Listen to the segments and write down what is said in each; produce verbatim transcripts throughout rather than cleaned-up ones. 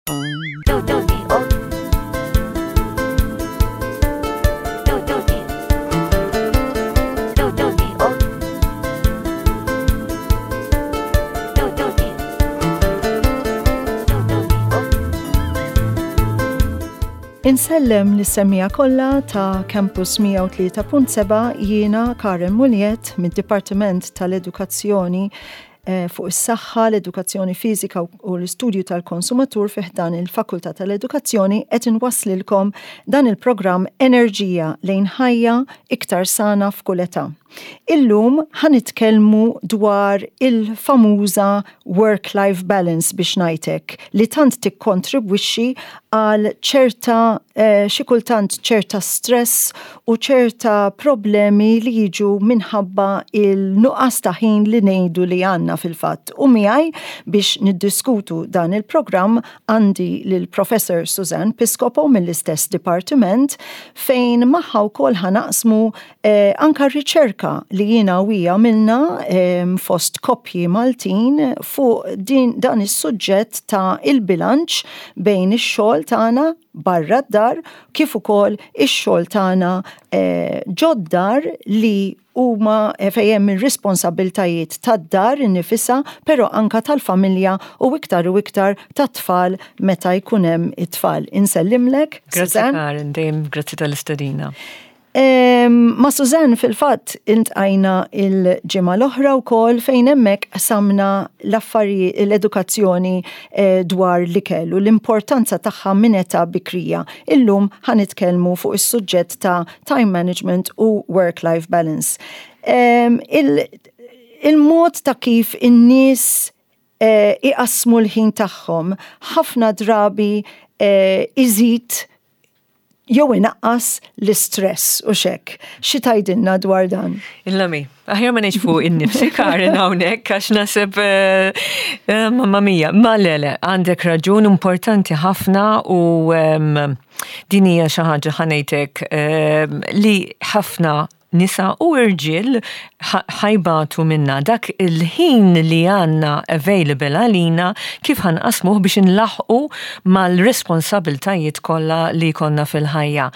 Do do D O Do do D Do do D O Do do D Do do D O Insellem lis-semmiegħa kollha ta' Campus mija u tlieta punt seba', jiena Karen Muljet mid-Dipartiment tal-Edukazzjoni eh, fuq is-saħħa, l-edukazzjoni fiżika u l-istudju tal-konsumatur fi ħdan il-Fakultà tal-Edukazzjoni, qed inwasslilkom dan il-programm Enerġija lejn ħajja iktar sana f'kull età. Illum ħa nitkellmu dwar il-famuża work-life balance, biex ngħidlek, li tant tikkontribwixxi għal ċerta eh, xi kultant ċerta stress u ċerta problemi li jiġu minħabba il-nuqqas ta' ħin li ngħidu li għandna fil-fatt. U miegħi biex niddiskutu dan il-programm għandi lil Professor Suzanne Piscopo mill-istess dipartiment, fejn magħha wkoll ħa naqsmu eh, anka riċerka li jiena u hija għamilna eh, fost koppji Maltin fuq din, dan is-suġġett ta' il-bilanċ bejn ix-xogħol tagħna barra d-dar kif ukoll ix-xogħol tagħna eh, ġod-dar li huma eh, fejn hemm ir-responsabiltajiet tad-dar innifisha, però anka tal-familja u iktar u iktar tat-tfal meta jkun hemm it-tfal. Insellimlek, Grazzi. Suzanne. Karen, dejjem grazzi tal-istedina. Em, Ma Suzanne fil-fatt iltqajna il-ġimgħa l-oħra wkoll, fejn hemmhekk qsamna l-affarijiet, l-edukazzjoni eh, dwar l-ikel u l-importanza tagħha minn età bikrija. Illum ħa nitkellmu fuq is-suġġett ta' time management u work-life balance. Em, il- Il-mod ta' kif in-nies eh, iqasmu l-ħin tagħhom ħafna drabi eh, iżid jew inaqqas l-istress u hekk. Xi tgħidilna dwar dan? Illami, aħjar ma ngħidx fuq innifsi, Karen, hawnhekk, għax naħseb eh, eh, mamma mia, ma le le, għandek raġun, importanti ħafna u em, din hija xi ħaġa, ħa ngħidlek, em, li ħafna nisa u irġiel ħa jbatu minna, dak il-ħin li għandna available għalina, kif ħa nqassmuh biex nlaħqu mal-responsabiltajiet kollha li konna fil-ħajja.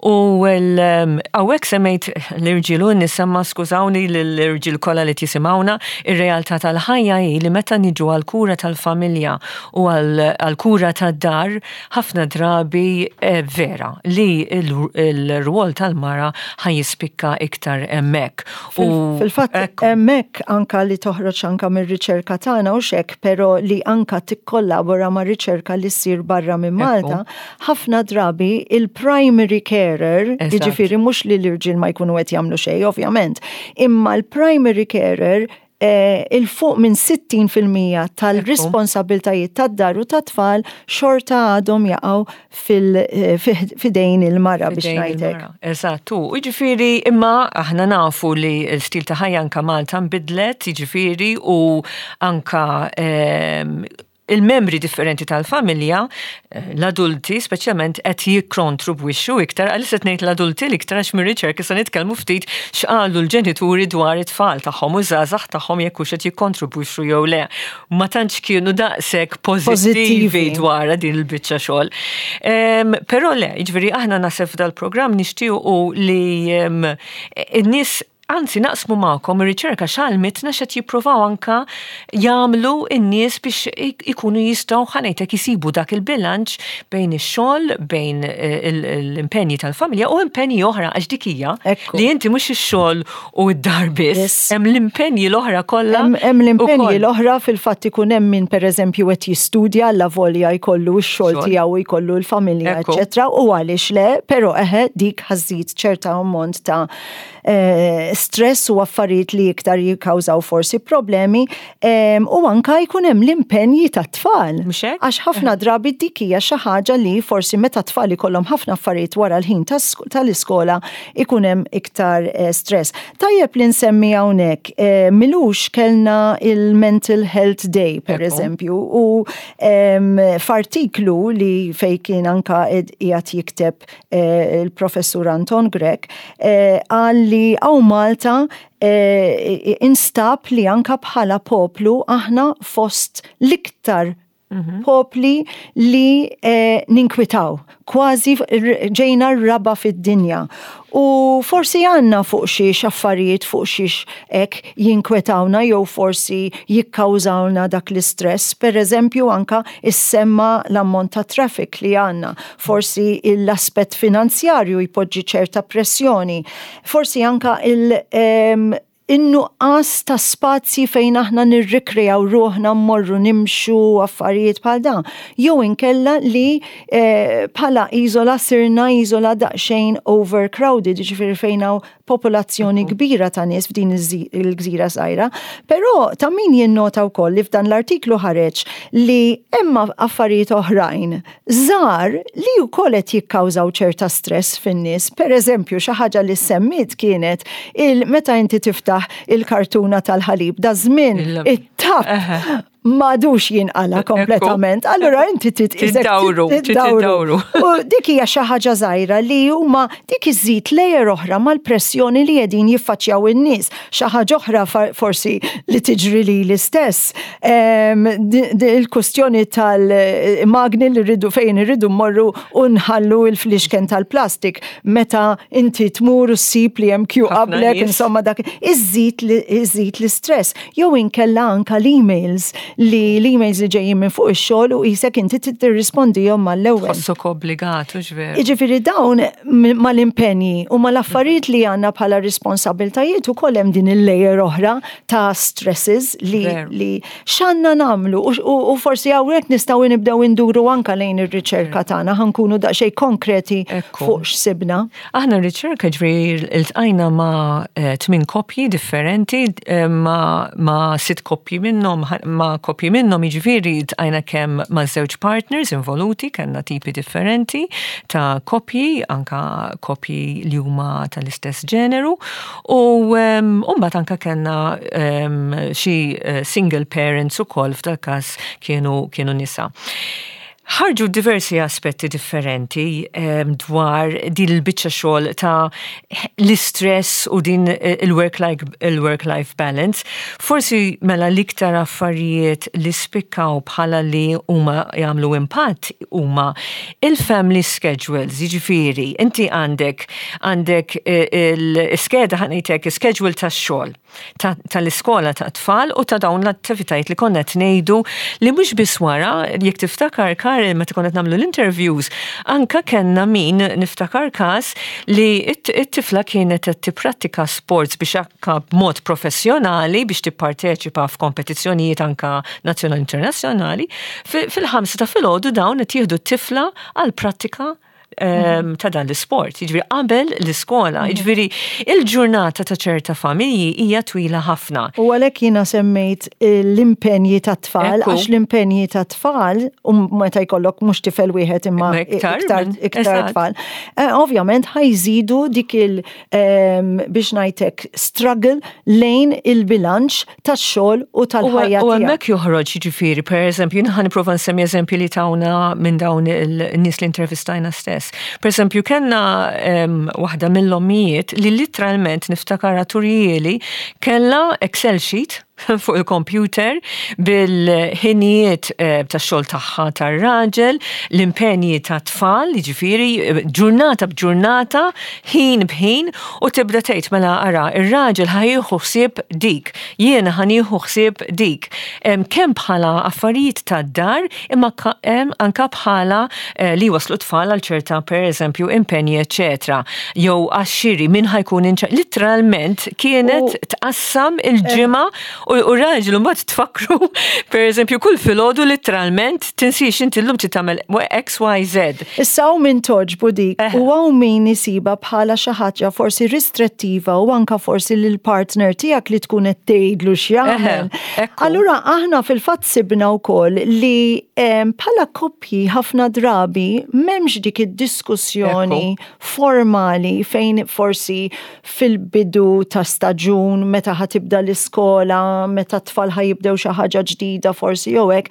U hawnhekk semmejt l-irġiel u n-nisa, ma skużawni l-irġiel kollha li tisimgħuna, ir-realtà tal-ħajja hi li meta niġu għal-kura tal-familja u għal-kura tad-dar, ħafna drabi eh, vera li il-rwol tal-mara ħa jispikka iktar hemmhekk. U Fil-fatt ekku. hemmhekk anka li toħroġ anka mir-riċerka tagħna u hekk, però li anka tikkollabora ma' riċerka li ssir barra minn Malta, ħafna drabi il-primary carer, Eżatt. jiġifieri mhux li l-irġiel ma jkunu qed jagħmlu xejn ovvjament, imma l-primary carer eh, il-fuq minn sittin fil-mija tal-responsabiltajiet tad-dar u tat-tfal xorta għadhom jaqgħu fil- eh, fi- fidejn il-mara, biex Fidejn ngħidlek. il-mara. Eżattu, jiġifieri imma aħna nafu li l-stil ta' ħajja anka Malta nbidlet, jiġifieri u anka em, il-membri differenti tal-familja, eh, l-adulti speċjalment, qed jikkontribwixxu iktar. Għaliex qed ngħid l-adulti l-iktar? Għax mir-riċerka se nitkellmu ftit x'qalu l-ġenituri dwar it-tfal tagħhom u żgħażagħ tagħhom, jekk hux qed jikkontribwixxu jew le. Ma tantx kienu daqshekk pożittivi Pożittivi. dwar din il-biċċa xogħol. Em, Però le, jiġifieri aħna naħseb f'dal-programm nixtiequ li em, in-nies, anzi naqsmu magħkom ir-riċerka x'għallmitna, x'qed jippruvaw anka jagħmlu n-nies biex ik- ikunu jistgħu, ħa ngħidlek, isibu dak il-bilanċ bejn ix-xogħol, bejn eh, il- l-impenji tal-familja u impenji oħra, għax dik hija Ekku. li inti mhux ix-xogħol u d-dar biss, Yes. hemm l-impenji l-oħra kollha. Hemm hemm l-impenji ukoll. l-oħra, fil-fatt ikun hemm min pereżempju qed jistudja, alla volja jkollu x-xogħol Xogħol. tiegħu, jkollu l-familja, Ekku. eċċetera, u għaliex le, però eħe dik ħa żżid ċerta ammont ta' eh, stress u affarijiet li iktar jikkawżaw forsi problemi em, u anka jkun hemm l-impenji tat-tfal. Mhux hekk? Għax ħafna drabi dik hija xi ħaġa li forsi meta tfal ikollhom ħafna affarijiet wara l-ħin tas- tal-iskola ikun hemm iktar eh, stress. Tajjeb li nsemmi hawnhekk, eh, m'ilux kellna il-Mental Health Day, per Ekku. eżempju, u em, f'artiklu li fej kien anka ed- qiegħed jikteb eh, il-professur Anton Grech, eh, qal li hawn Malta eh, instab li anka bħala poplu aħna fost l-iktar popli li eh, ninkwitaw, kważi ġejna r-raba fid-dinja. U forsi għandna fuq xiex affarijiet, fuq xiex hekk jinkwetawna jew forsi jikkawżawna dak l-istress. Per eżempju, anka issemma l-ammont ta' traffic li għandna. Forsi l-aspett finanzjarju jpoġġi ċerta pressjoni. Forsi anka il- em, in-nuqqas ta' spazji fejn aħna nirrikrejaw ruħna, mmorru nimxu, affarijiet bħal dan. Jew inkella li eh, bħala iżola sirna iżola daqsxejn overcrowded, ġifieri fejn hawn popolazzjoni kbira ta' nies f'din iż- il-gżira żgħira. Però ta' min jinnota wkoll li f'dan l-artiklu ħareġ li hemm affarijiet oħrajn żgħar li wkoll qed jikkawżaw ċerta stress fin-nies. Per eżempju, xi ħaġa li semmit kienet il meta inti tiftaħ il-kartuna tal-ħalib, da żmien Il- it-tapp m'għadux jinqala kompletament. Allura inti Tiddawru, tiddawru. U dik hija xi ħaġa żgħira li huma dik iżid layer oħra mal-pressjoni li qegħdin jiffaċċjaw in-nies. Xi ħaġa oħra forsi li tiġri li l-istess. Il-kustjoni tal-magni li rridu fejn irridu mmorru u nħallu il-flixken tal-plastik meta inti tmur u ssib li hemm queue qablek, insomma, dak iżid l-istress. Jew inkella anka l-emails li l-emails li ġejjin minn fuq ix-xogħol u qisek inti tirrispondihom mal-ewwel. Tħossok obbligat, ġveru. Jiġifieri dawn mal-impenji u mal-affarijiet li għandna bħala responsabiltajiet ukoll hemm din il-layer oħra ta' stresses li li x'għandna nagħmlu u forsi hawnhekk nistgħu nibdew induru anka lejn ir-riċerka tagħna, ħa nkunu daqsxejn konkreti fuq x'sibna. Aħna r-riċerka, ġifieri, iltqajna ma' eh, tmien koppji differenti, eh, ma' sitt koppji minnhom, ma' koppji minnhom, jiġifieri ltqajna kemm ma' żewġ partners involuti, kellna tipi differenti ta' koppji, anka koppji li huma tal-istess ġeneru, u mbagħad anka kellna xi eh, single parents ukoll, f'dal każ kienu kienu nisa. Ħarġu diversi aspetti differenti dwar din il-biċċa xogħol ta' l-istress u din il-work-life il-work-life balance. Forsi mela l-iktar affarijiet li spikkaw bħala li huma jagħmlu impatt huma il-family schedules, jiġifieri inti għandek għandek eh, il-skeda, ħa ngħidlek, schedule tax-xogħol, tal-iskola ta' tfal u ta' dawn l-attivitajiet li konna ngħidu li mhux biss wara. Jekk tiftakar, Karen, meta konna nagħmlu l-interviews, anka kellna min, niftakar każ li it-tifla kienet qed tipprattika sports biex anka b'mod professjonali biex tipparteċipa f'kompetizzjonijiet anka nazzjonali, internazzjonali, fil-ħamsa ta' filgħodu dawn qed jieħdu t-tifla għal prattika ta' dan l-sport, jiġifieri qabel l-iskola, mhm. jiġifieri il-ġurnata ta' ċerta familji hija twila ħafna. U għalhekk jiena semmejt l-impenji ta' tfal, għax l-impenji ta' tfal, u meta jkollok mhux tifel wieħed imma iktar iktar tfal, eh, ovvjament ħa jżidu dik il biex ngħidlek struggle lejn il-bilanċ tax-xogħol u tal-ħajja. U hemmhekk joħroġ, jiġifieri, per eżempju, jien ħa nipprova nsemmi eżempju li tawna minn dawn il-nies li intervistajna stess. Per eżempju, kellna um, waħda mill-ommijiet li literalment, niftakar turihieli, kella Excel sheet fuq il-computer bil-ħinijiet eh, ta' xogħol tagħha, tar-raġel, l-impenji ta' tfal, jiġifieri eh, ġurnata b'ġurnata, ħin b'ħin, u tibda tgħid, "Mela ara, ir-raġel ħa jieħu ħsieb dik, jiena ħa nieħu ħsieb dik." Kemm bħala affarijiet tad-dar imma anka bħala eh, li waslu tfal għal ċerta, per eżempju, impenji, eċetera. Jew għax-xiri min ħa jkun, literalment kienet tqassam il-ġimgħa u raġel mbagħad tfakru, per eżempju, kull filgħodu literalment, "Tinsiex inti llum tagħmel X, Y, Z." Issa hawn min togħġbu dik u hawn min isiba bħala xi ħaġa forsi restrittiva u anka forsi lil partner tiegħek li tkun qed tgħidlu x'jagħmel. Allura aħna fil-fatt sibna wkoll li bħala koppji ħafna drabi m'hemmx dik id-diskussjoni formali fejn forsi fil-bidu ta' staġun meta ħa tibda l-iskola meta t-tfal ħa jibdew xi ħaġa ġdida forsi jew hekk,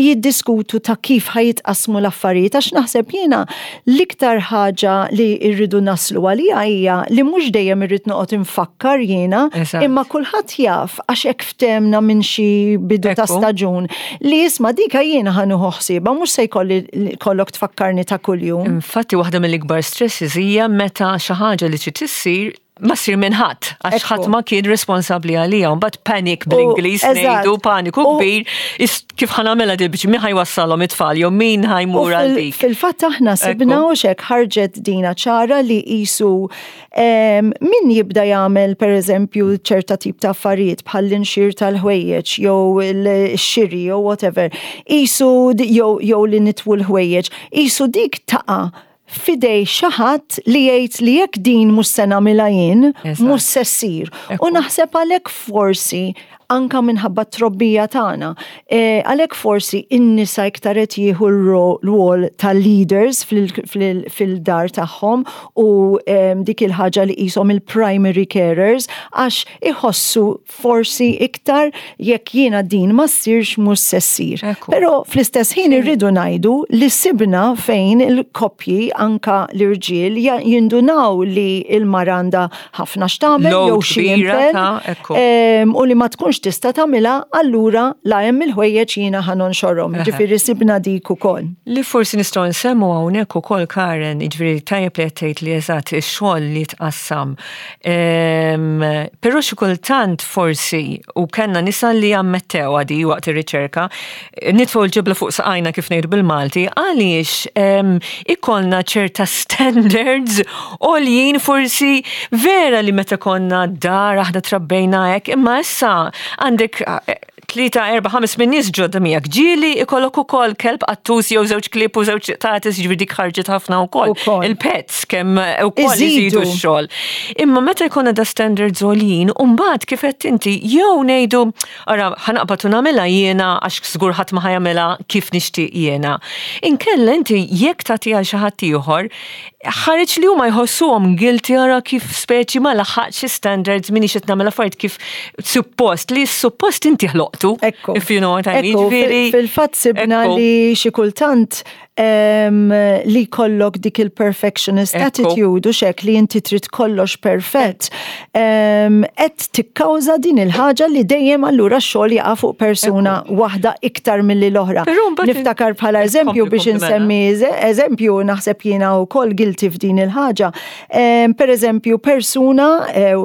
jiddiskutu ta' kif ħa jitqasmu l-affarijiet, għax naħseb jiena l-iktar ħaġa li rridu naslu għalija hija li mhux dejjem irrid noqgħod infakkar jiena, Eżatt. imma kulħadd jaf, għax hekk ftehemna minn xi bidu ta' Ekku. staġun li isma' dika jiena ħa nieħu ħsiebha, mhux se jkolli kollok tfakkarni ta' kuljum. Infatti, waħda mill-ikbar stresses hija meta xi ħaġa li trid issir ma ssir minn ħadd, għax Ekku. ħadd ma kien responsabbli għalija, mbagħad panic bl-Ingliż eżatt. ngħidu, paniku U- kbir, is- kif ħa nagħmilha di biex min ħa jwassalhom it-tfal jew min U ħa jmur għal fil- dik. Fil-fatt aħna sibna Ekku. u xek ħarġet dina ċara li jisu em, min jibda jagħmel, per eżempju, ċerta tip ta' affarijiet bħal l-inxir tal-ħwejjeġ jew il-xiri jew whatever, jisu di- jew jew li nitwu l-ħwejjeġ, jisu dik taqa' f'idejn xi ħadd li jgħid li jekk din mhux se nagħmilha jien, Eżatt. mhux se ssir. U Ekku. naħseb għalhekk forsi anka minħabba trobbija tagħna. E, għalhekk forsi in-nisa iktar qed jieħu r-rwol tal-leaders fil-dar tagħhom u em, dik il-ħaġa li qishom il-primary carers, għax iħossu forsi iktar jekk jiena din ma ssirx, mhux se ssir. Ekku. Però fl-istess ħin irridu ngħidu li sibna fejn il-koppji, anka l-irġiel, ja- jindunaw li il-mara għandha ħafna x'tagħmel Load jew xi kbira impenn, ta' ekku. em, u li ma tkunx tista' tagħmilha, allura la hemm il-ħwejjeġ, jiena ħa nonxorhom. Ġifieri sibna dik ukoll. Li forsi nistgħu nsemmu hawnhekk ukoll, Karen, jiġifieri tajjeb li qed tgħid li eżatt ix-xogħol li tqassam. Ehm, Però xi kultant forsi, u kellna nisa li ammettew għadi waqt ir-riċerka, nitfgħu l-ġebla fuq saqajna kif ngħidu bil-Malti, għaliex ehm, ikollna ċerta standards għoljin, forsi vera li meta konna dar aħna trabbejna hekk, imma issa għandek eh, tlieta, erba', ħames minn nies ġodda miegħek. Ġieli ikollok ukoll kelb, qattus jew żewġ klieb u żewġ qtates, jiġifieri dik ħarġet ħafna wkoll. Ukoll. Il-pets kemm ukoll Iżidu. iżidu x-xogħol. Imma meta jkollna da standards għoljin, u mbagħad kif qed inti jew ngħidu, ara, ħa naqbad u nagħmilha jiena għax żgur ħadd ma ħa jagħmilha kif nixtieq jiena. Inkella inti jekk tagħti għal xi ħadd ieħor, ħareġ li huma jħossuhom guilty, ara kif speċi ma laħaqx standards, minix qed nagħmel affarijiet kif suppost, li suppost inti ħloqtu. Ekku. If you know what I mean. Ekku, Ġifieri- fil- fil-fatt sibna Ekku. li xi kultant em, li kollok dik il-perfectionist Ekku. attitude u xek li inti trid kollox perfett, em, qed tikkawża din il-ħaġa li dejjem allura x-xogħol jaqa' fuq persuna waħda iktar milli l-oħra. Però mbagħad- Niftakar bħala eżempju Kompli, biex kompli mela. insemmi eże- eżempju, naħseb jiena wkoll guilty f'din il-ħaġa. Em, Per eżempju, persuna eh,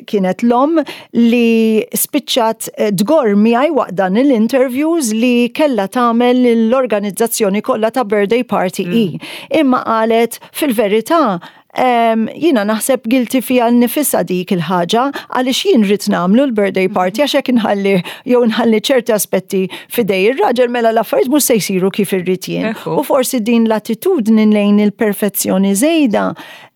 kienet l-om li spiċċat eh, dgor miegħi waqt dan il-interviews li kella tagħmel l-organizzazzjoni kollha ta' birthday party i. Imma qalet, fil-verità, Um, jina naħseb guilty fija nnifisha dik il-ħaġa għaliex jien rrid nagħmlu l-birthday party, għax hekk inħalli jew nħalli ċerti aspetti f'idej ir-raġel, mela l-affarijiet mhux se jsiru kif irrid jien. Ekku. U forsi din l-attitudni lejn il-perfezzjoni żejda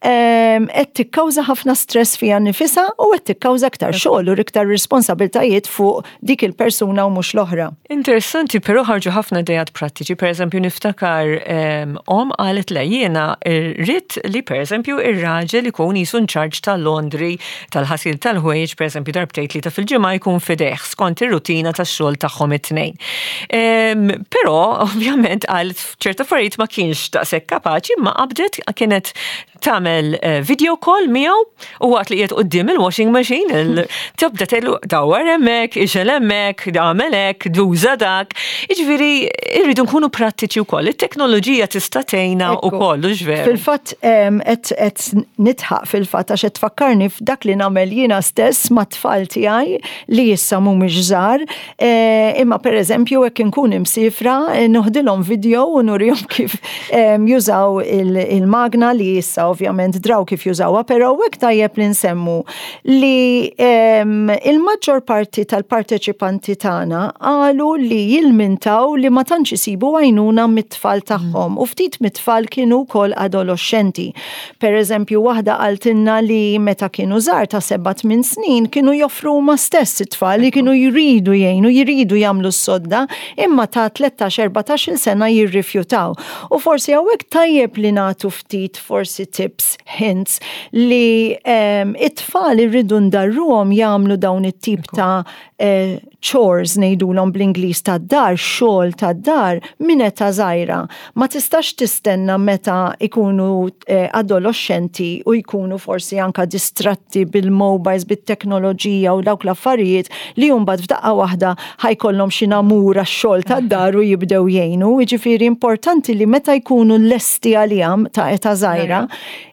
em, qed tikkawża ħafna stress fija nnifisha u qed tikkawża aktar xogħol u iktar responsabiltajiet fuq dik il-persuna u mhux l-oħra. Interessanti, però ħarġu ħafna idejat prattiċi. Per eżempju, niftakar um, om qalet le, jiena rrid li per eżempju ir-raġel ikun jisu in charge tal-laundry, tal-ħasil tal-ħwejjeġ, per eżempju darbtejn, tlieta fil-ġimgħa jkun f'idejh skont ir-rutina tax-xogħol tagħhom it-tnejn. Um, però ovvjament qalet ċerta affarijiet ma kienx daqshekk kapaċi, imma qabdet kienet tagħmel eh, video call miegħu u waqt li qiegħed quddiem il-washing machine il- tibda tgħidlu dawwar hemmhekk, ixgħel hemmhekk, għamel hekk, uża dak. Jiġifieri irridu nkunu prattiċi wkoll. It-teknoloġija tista' tgħinna Ekku. wkoll, hux veru? Fil-fatt em, qed qed nidħaq fil-fatt għax qed tfakkarni f'dak li nagħmel jiena stess mat-tfal tiegħi li issa mhumiex żgħar. Eh, Imma pereżempju hekk inkun imsifra, eh, noħdilhom video u nurihom kif em, jużaw il- il-magna li issa ovvjament draw kif jużawha, però hekk tajjeb li nsemmu li em, il-maġġor parti tal-parteċipanti tagħna qalu li jilmintaw li ma tantx isibu għajnuna mit-tfal tagħhom u ftit mit-tfal kienu wkoll adolescenti. Per eżempju, waħda qaltilna li meta kienu żgħar ta' seba' tmien snin kienu joffru huma stess it-tfal li kienu jridu jgħinu, jridu jagħmlu s-sodda, imma ta' tlettax erbatax-il sena jirrifjutaw. U forsi hawnhekk tajjeb li nagħtu ftit forsi tips, hints li um, it-tfal irridu ndarruhom jagħmlu dawn it-tip ta' eh, chores, ngħidulhom bl-Ingliż, tad-dar, xogħol tad-dar minn età żgħira. Ma tistax tistenna meta ikunu eh, adolescenti u jkunu forsi anka distratti bil-mobiles, bit-teknoloġija u dawk l-affarijiet li mbagħad f'daqqa waħda ħa jkollhom xi namur għax-xogħol tad-dar u jibdew jgħinu. Jiġifieri importanti li meta jkunu lesti għalihom ta' età żgħira,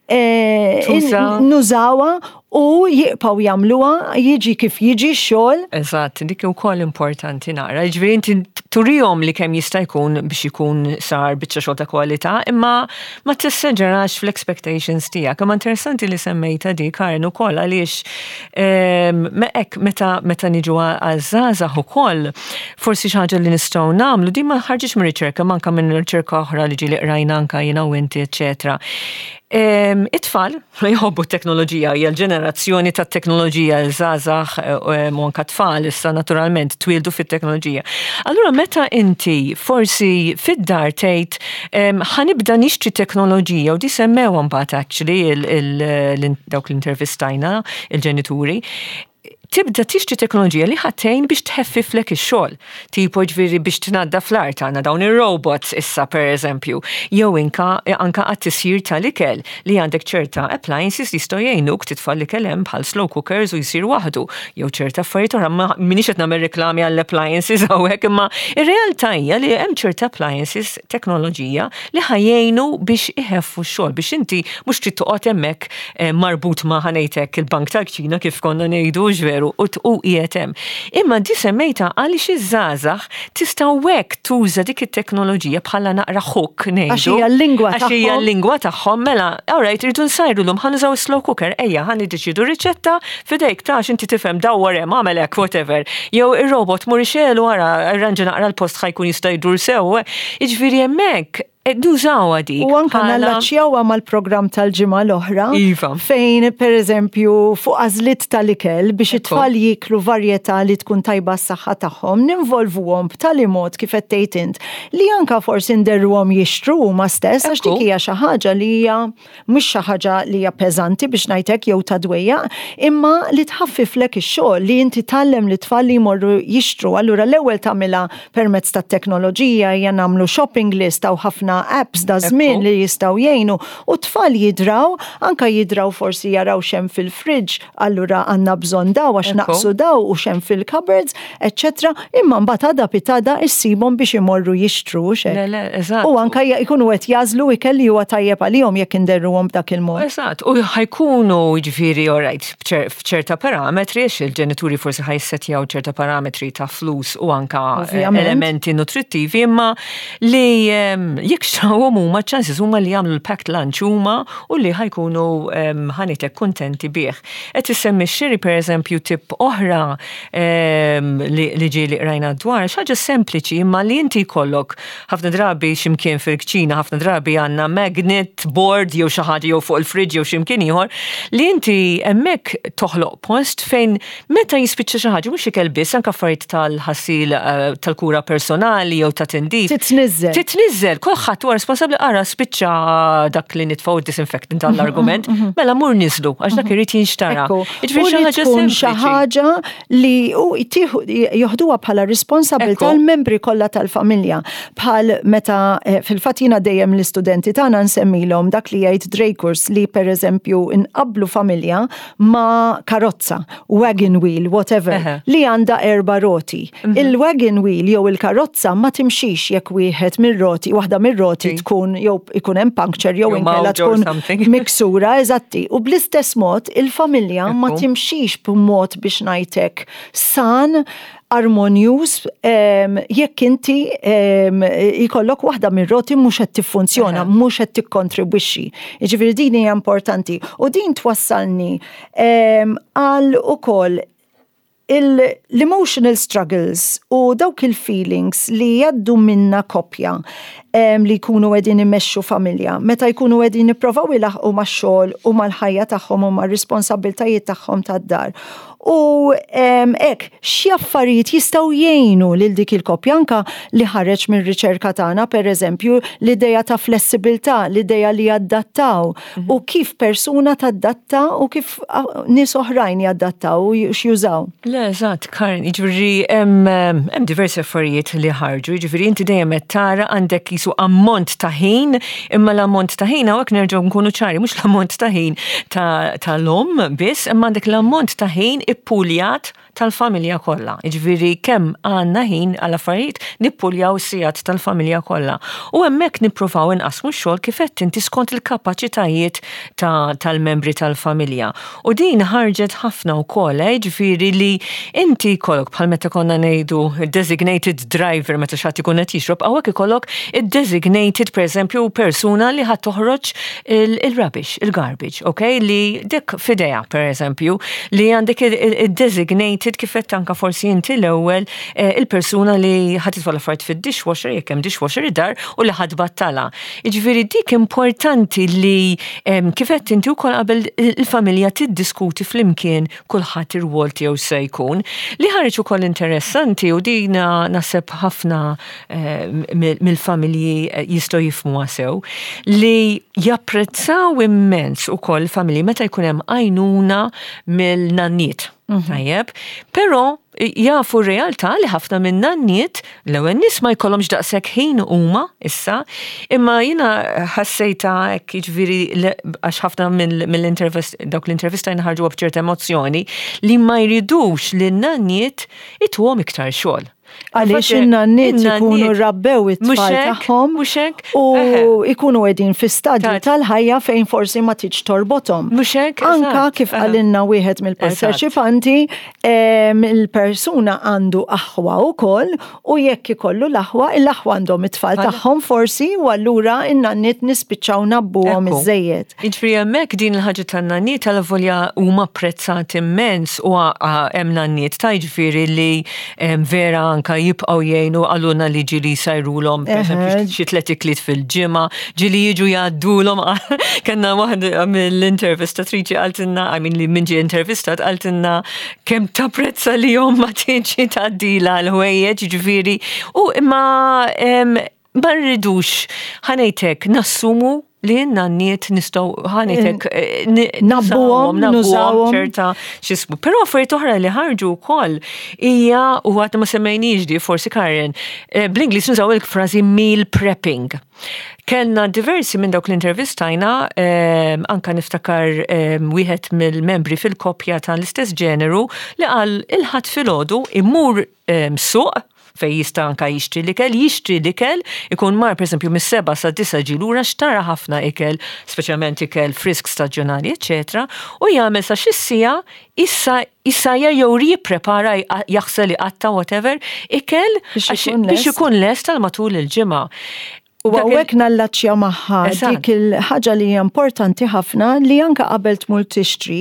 eh, Tuża. nużawha u jibqgħu jagħmluha jiġi kif jiġi x-xogħol. Eżatt, dik ukoll importanti nara. Ġifieri inti turihom li kemm jista' jkun biex ikun sar biċċa xogħol ta' kwalità, imma ma tesseġerax fl-expectations tiegħek. Imma interessanti li semmejta di, Karen, ukoll għaliex ehm, me hekk meta meta niġu għaż-żgħażagħ ukoll, forsi xi ħaġa li nistgħu nagħmlu, di ma ħarġitx minn riċerka, manka minn riċerka oħra li ġieli qrajna anka jiena u inti, eċetera. Ehm, It-tfal jħobbu t-teknoloġija, hija l-ġenerazzjoni tat teknoloġija, l-żgħażagħ u anka tfal issa naturalment twildu fit-teknoloġija. Allura meta inti forsi fid-dar tgħid em, ħa nibda nixtri teknoloġija, u di semmew mbagħad actually il- il- dawk l-intervistajna il-ġenituri, tibda tixtri teknoloġija li ħa tgħin biex tħeffiflek ix-xogħol. Tipo ġifieri biex tnaddaf l-art, għandna dawn ir-robots issa, per eżempju, jew inka anka għat-tisjir tal-ikel li għandek ċerta appliances li jistgħu jgħinuk titfa' l-ikel hemm bħal slow cookers u jsir waħdu. Jew ċerta affarijiet oħra, ma minix qed nagħmel reklami għall-appliances hawnhekk, imma ir-realtà hija li hemm ċerta appliances, teknoloġija li ħa jgħinu biex iħeffu x-xogħol biex inti mhux trid toqgħod hemmhekk eh, marbut ma', ħa ngħidlek, il-bank tal-kċina kif konna ngħidu veru u u qiegħed hemm. Imma di semmejta għaliex iż-żgħażagħ tistgħu hekk tuża dik it-teknoloġija bħala naqra hook, ngħidu. Għax hija l-lingwa Għax hija tagħhom. l-lingwa tagħhom, mela, alright, irridu nsajru llum, ħa nużaw slow cooker, ejja, ħa niddeċidu riċetta f'idejk ta' inti tifhem, dawwar hemm, għamel hekk, whatever. Jew ir-robot mur ixegħlu wara, arranġa naqra l-post ħa jkun jista' jdur sew. Jiġifieri hemmhekk nużawha dik. U anka bħala- nallaċjawha mal-programm tal-ġimgħa l-oħra. Iva. Fejn per eżempju fuq għażliet tal-ikel biex Ekku. it-tfal jiklu varjetà li tkun tajba s-saħħa tagħhom, ninvolvuhom b'tali mod kif qed tgħid int li anka forsi nderruhom jixtru huma stess għax Ekku. dik hija xi ħaġa li hija mhux xi ħaġa li hija peżanti biex ngħidlek jew ta' dwejja, imma li tħaffiflek ix-xogħol li inti tgħallem li tfal li jmorru jixtru. Allura l-ewwel tagħmilha permezz tat-teknoloġija, hija nagħmlu shopping list aw ħafna apps da żmien Ekku. li jistgħu jgħinu u tfal jidraw, anka jidraw forsi jaraw x'hemm fil-fridge, allura għandna bżonn daw għax Ekku. naqsu daw u x'hemm fil-cupboards, eccetera. Imma mbagħad għada pitgħada issibhom biex imorru jixtru xek. Le, le, eżatt. U anka jkunu qed jagħżlu ikel li huwa tajjeb għalihom jekk inderruhom b'dak il-mod. Eżatt, u ħa jkunu ġifieri, alright, f'ċerta parametri, għax il-ġenituri forsi ħa jissetjaw ċerta parametri ta' flus u anka eh, Ovvjament. elementi nutrittivi, imma li em, jekk xtrawhom huma, chances huma li jagħmlu l-packed lunch huma u li ħa jkunu em, ħa ngħidlek kuntenti bih. Qed issemmi xiri, per eżempju, tip oħra em, li li ġieli qrajna dwar, xi ħaġa sempliċi imma li inti jkollok ħafna drabi x'imkien fil-kċina, ħafna drabi għandna magnet board jew xi ħaġa jew fuq il-fridge jew x'imkien ieħor li inti hemmhekk toħloq post fejn meta jispiċċa xi ħaġa, mhux ikel biss, anke affarijiet tal-ħasil eh, tal-kura personali jew ta' tindif. Titniżżel. Titniżżel, kulħadd huwa responsabbli, ara spiċċa dak li nitfgħu disinfectant għall-argument, mela mur niżlu għax dak irid jinxtara. Ekku. Jiġifieri U xi li ħaġa tkun xi sempliċi. ħaġa li u jtieħu- joħduha bħala responsabilità Ekku. l-membri kollha tal-familja. Bħal meta eh, fil-fatt jiena dejjem l-istudenti tagħna nsemmilhom dak li jgħid Dreikurs li per eżempju inqablu familja ma' karozza, wagon wheel, whatever, Eħe. li għandha erba' roti. Il-wagon wheel jew il-karozza ma timxix jekk wieħed mir-roti, waħda mir-roti Sì. tkun jew ikun hemm puncture jew Jew inkella mawġa or tkun something. miksura, eżatti. U bl-istess mod il-familja ma Ekku. timxix b'mod biex ngħidlek san, armonjuż, em, jekk inti em, jkollok waħda mir-roti mhux qed tiffunzjona, Eħe. mhux qed tikkontribwixxi. Jiġifieri din hija importanti. U din twassalni em, għal ukoll l-emotional struggles u dawk il-feelings li jgħaddu minna koppja. li jkunu qegħdin imexxu familja, meta jkunu qegħdin jipprovaw ilaħqu max-xogħol u mal-ħajja tagħhom u mar-responsabbiltajiet tagħhom tad-dar. U hekk, xi affarijiet jistgħu jgħinu lil dik il-koppja anka li ħareġ mir-riċerka tagħna, pereżempju, l-idea ta' flessibilità, l-idea li jaddattaw mhm. u kif persuna tadatta u kif nies oħrajn jaddattaw u x'jużaw. Le, eżatt, Karen, jiġifieri hemm diversi affarijiet li ħarġu, jiġifieri inti dejjem qed tara għandek jisu ammont ta' ħin, imma l-ammont ta' ħin hawnhekk nerġgħu nkunu ċari, mhux l-ammont ta' ħin tal-omm biss, imma għandek l-ammont ta' ħin ippuljat tal-familja kollha. Jiġifieri kemm għandna ħin għal affarijiet, nippuljaw sigħat tal-familja kollha. U hemmhekk nippruvaw inqasmu x-xogħol kif qed inti skont il-kapaċitajiet tal-membri tal-familja. U din ħarġet ħafna wkoll, eh, jiġifieri li inti jkollok bħal meta konna ngħidu designated driver meta xi ħadd ikun qed jixrob, hawnhekk ikollok id-designated, pereżempju, persuna li ħa toħroġ il-rubbish, il-garbage, ok? Li dik f'idejha, pereżempju, li għandek il-designated, kif qed anka forsi inti l-ewwel, eh, il-persuna li ħa titfa' l-affarijiet fid-dishwasher jekk hemm dishwasher id-dar u li ħa tbattala. Jiġifieri dik importanti li kif qed inti wkoll qabel il-familja tiddiskuti flimkien kulħadd ir-rwol tiegħu se jkun. Li ħareġ ukoll interessanti u dina naħseb ħafna eh, mill-familji eh, jistgħu jifhmuha sew, li japprezzaw immens ukoll familji meta jkun hemm għajnuna mill-nanniet. Mhm. Tajjeb, però jafu realtà li ħafna minn nanniet l-ewwel nies ma jkollhomx daqshekk ħin huma issa, imma jiena ħassejta hekk, jiġifieri għax ħafna mill-intervist dawk l-intervista ħarġu b'ċerta emozzjoni li ma jridux li n-nanniet ituhom iktar xogħol. Għaliex in-nanniet ikunu rabbew it-tfal tagħhom u ikunu qegħdin fi stadju tal-ħajja fejn forsi ma tiġ torbothom. Anka kif qalilna wieħed mill-parteċipanti, il-persuna għandu aħwa wkoll u jekk ikollu l-aħwa, l-aħwa għandhom it-tfal tagħhom forsi u allura in-nanniet nispiċċaw ngħabbuhom iżejjed. Jiġifieri hemmhekk din il-ħaġa tan-nanniet għal huma apprezzat immens u hemm nanniet ta' jiġifieri li vera anka jibqgħu jgħinu, qalulna li ġieli jsajrulhom, pereżempju, xi tliet ikliet fil-ġimgħa, ġieli jiġu jgħaddulhom. Kellna waħda mill-intervistatriċi qaltilna, I mean, li min ġie intervistat qaltilna kemm tapprezza li ommha tiġi tgħaddilha l-ħwejjeġ, ġifieri. U imma ma rridux, ħa ngħidlek, nassumu li n-nanniet nistgħu, ħa ngħidlek, eh, ngħabbuhom, nużawhom ċerta xismu. Però affarijiet oħra li ħarġu wkoll hija, u għadna ma semmejniex di forsi, Karen, eh, bl-Ingliż nużaw il-frażi meal prepping. Kellna diversi minn dawk l-intervistajna, eh, anka niftakar wieħed mill-membri fil-koppja tal-istess ġeneru li qal il-Ħadd filgħodu imur suq fej jista' anka jixtri l-ikel, jixtri l-ikel, ikun mar pereżempju mis-sebgħa sa disgħa, ġie lura xtara ħafna ikel, speċjalment ikel frisk, staġjonali, eċetera, u jagħmel sa xi siegħa issa issa jew jipprepara, jaħsel, iqatta', whatever, ikel biex ikun lest tal matul il-ġimgħa. U hawnhekk nallaċċja magħha dik il-ħaġa li hija importanti ħafna li anka qabel tmur tixtri,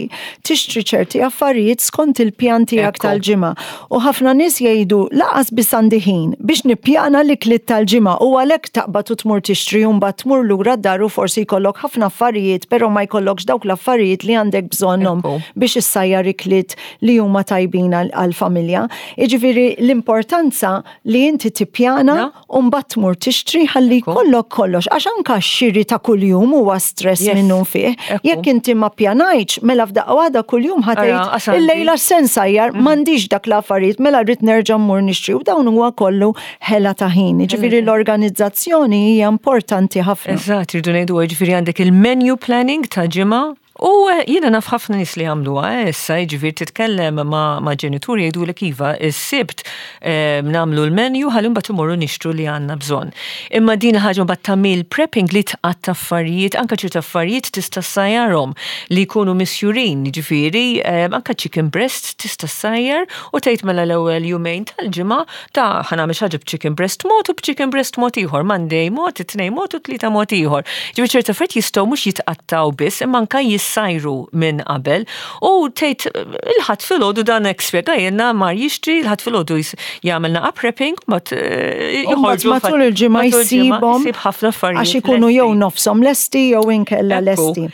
tixtri ċerti affarijiet skont il-pjan tiegħek tal-ġimgħa. U ħafna nies jgħidu lanqas biss għandi ħin biex nippjana l-ikliet tal-ġimgħa u għalhekk taqbad u tmur tixtri u mbagħad tmur lura d-dar u forsi jkollok ħafna affarijiet, però ma jkollokx dawk l-affarijiet li għandek bżonnhom biex issajjar ikliet li huma tajbin għal-familja. Jiġifieri l-importanza li inti tippjana u mbagħad tmur tixtri ħalli jkollok kollox, għax anka x-xiri ta' kuljum huwa stress minnu fih. Jekk inti ma ppjanajtx, mela f'daqqa waħda kuljum ħa tgħid illejla x'se nsajjar, mhm. m'għandix dak l-affarijiet, mela rrid nerġa' mmur nixtri u dawn huwa kollu ħela ta' ħin. Ġifieri l-organizzazzjoni hija importanti ħafna. Eżatt, irridu ngħidu, ġifieri għandek il-menu planning ta' ġimgħa. U eh, jiena naf ħafna nies li għamluha eh, issa, jiġifieri titkellem ma', ma ġenituri jgħidu li iva, is-Sibt eh, nagħmlu l-menu ħalli mbagħad imorru nixtru li għandna bżonn. Imma din ħaġa mbagħad ta' meal prepping li tqatta' affarijiet, anke ċerta affarijiet tista' ssajjarhom li jkunu misjurin, jiġifieri anke chicken breast tista' ssajjar u tgħid mela l-ewwel jumejn tal-ġimgħa ta' ħa nagħmel xi ħaġa b'chicken breast mod u b'chicken breast mod ieħor, Monday mod, it-Tnejn mod u Tlieta mod ieħor. Ġifieri ċerta affarijiet jistgħu mhux jitqattaw biss imma anke jis issajru minn qabel u tgħid il-Ħadd filgħodu dan hekk spjegajilna mar jixtri, il-Ħadd filgħodu jagħmel naqa prepping, but eh, joħorġu matul il-ġimgħa jsibhom jsib ħafna affarijiet. Għax ikunu jew nofshom lesti jew inkella lesti.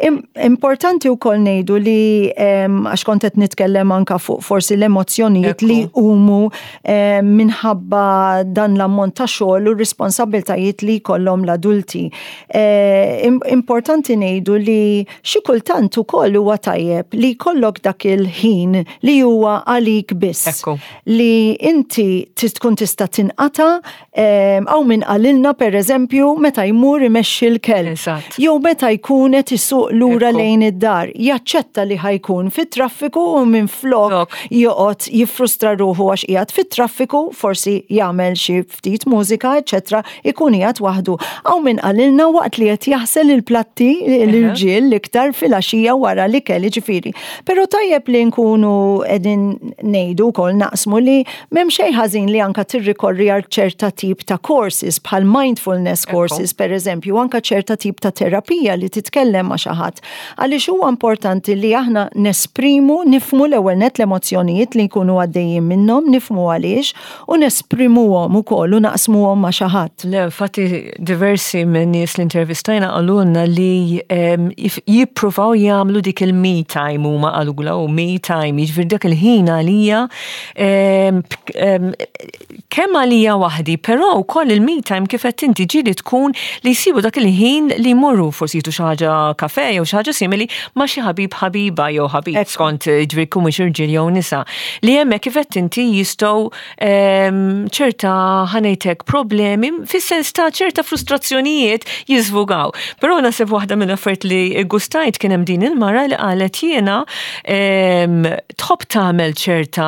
Importanti wkoll ngħidu li għax kont qed nitkellem anka fuq forsi l-emozzjonijiet li huma minħabba dan l-ammont ta' xogħol u r-responsabbiltajiet li jkollhom l-adulti. E, importanti ngħidu li xi kultant ukoll huwa tajjeb li jkollok dak il-ħin li huwa għalik biss. Li inti tkun tista' tinqata' hawn min qalilna, per eżempju, meta jmur imexxi l-kelb. Jew meta jkun qed isuq lura lejn id-dar, jaċċetta li ħa jkun fit-traffiku u minn flok joqgħod jiffrustra ruħu għax qiegħed fit-traffiku, forsi jagħmel xi ftit mużika, eċetera, ikun qiegħed waħdu. Hawn min qalilna waqt li qed jaħsel il-platti, l-irġiel l-iktar filgħaxija wara li kelli ġifieri. Però tajjeb li nkunu qegħdin ngħidu wkoll, naqsmu li m'hemm xejn ħażin li anka tirrikorri għal ċerta tip ta' courses bħal mindfulness courses, per eżempju, anka ċerta tip ta' terapija li titkellem ma' xi ħadd. Għaliex huwa importanti li aħna nesprimu, nifhmu l-ewwel net l-emozzjonijiet li jkunu għaddejjin minnhom, nifhmu għaliex u nesprimuhom ukoll u naqsmuhom ma' xi ħadd. Le, infatti diversi minn nies li intervistajna qalulna li jippruvaw jagħmlu dik il-me time, huma qalula u me time, jiġifieri dak il-ħin għalija, kemm għalija waħdi, però wkoll il-me time, kif qed inti, ġieli tkun li jsibu dak il-ħin li jmorru forsi jitu xi ħaġa kafe jew xi ħaġa simili ma' xi ħabib, ħabiba jew ħabib, skont ġifieri kumiex irġiel jew nisa. Li hemmhekk, kif qed inti, jistgħu ċerta, ħa ngħidlek, problemi fis-sens ta' ċerta frustrazzjonijiet jiżvugaw. Però naħseb waħda minn affarijiet li gustajt kien hemm din il-mara li qalet jiena tħobb tagħmel ċerta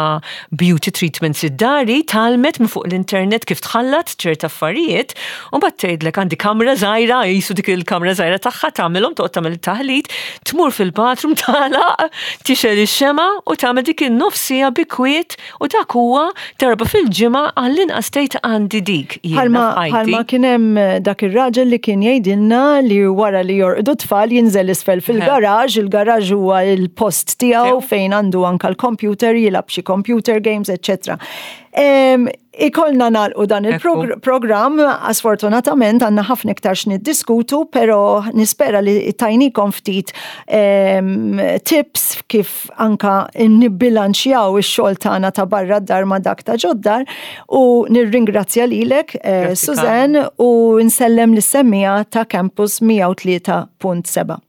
beauty treatments id-dar, tgħallmet minn fuq l-internet kif tħallat ċerta affarijiet, u mbagħad tgħidlek għandi kamra żgħira, jisu dik il-kamra żgħira tagħha tagħmelhom, toqgħod tagħmel taħlit, tmur fil-bathroom, tagħlaq, tixgħel ix-xemgħa u tagħmel dik in-nofs siegħa bi kwiet u dak huwa darba fil-ġimgħa għall-inqas, tgħid għandi dik. Bħalma kien hemm dak ir-raġel li kien jgħidilna li wara li jorqdu tfal jinżel isfel fil-garaġ, il-garaġ huwa il-post tiegħu fejn għandu anka l-computer, jilgħab xi computer games, eċċetera. Ikollna nagħlqu dan il-programm, sfortunatament għandna ħafna iktar x'niddiskutu, pero nispera li tajnikom ftit tips kif anka nibbilanċjaw ix-xogħol tagħna ta' barra d-dar ma' dak ta' ġod-dar u nirringrazzja lilek, eh, Suzanne, u nsellem lis-semmiegħa ta' Campus mija u tlieta punt seba'.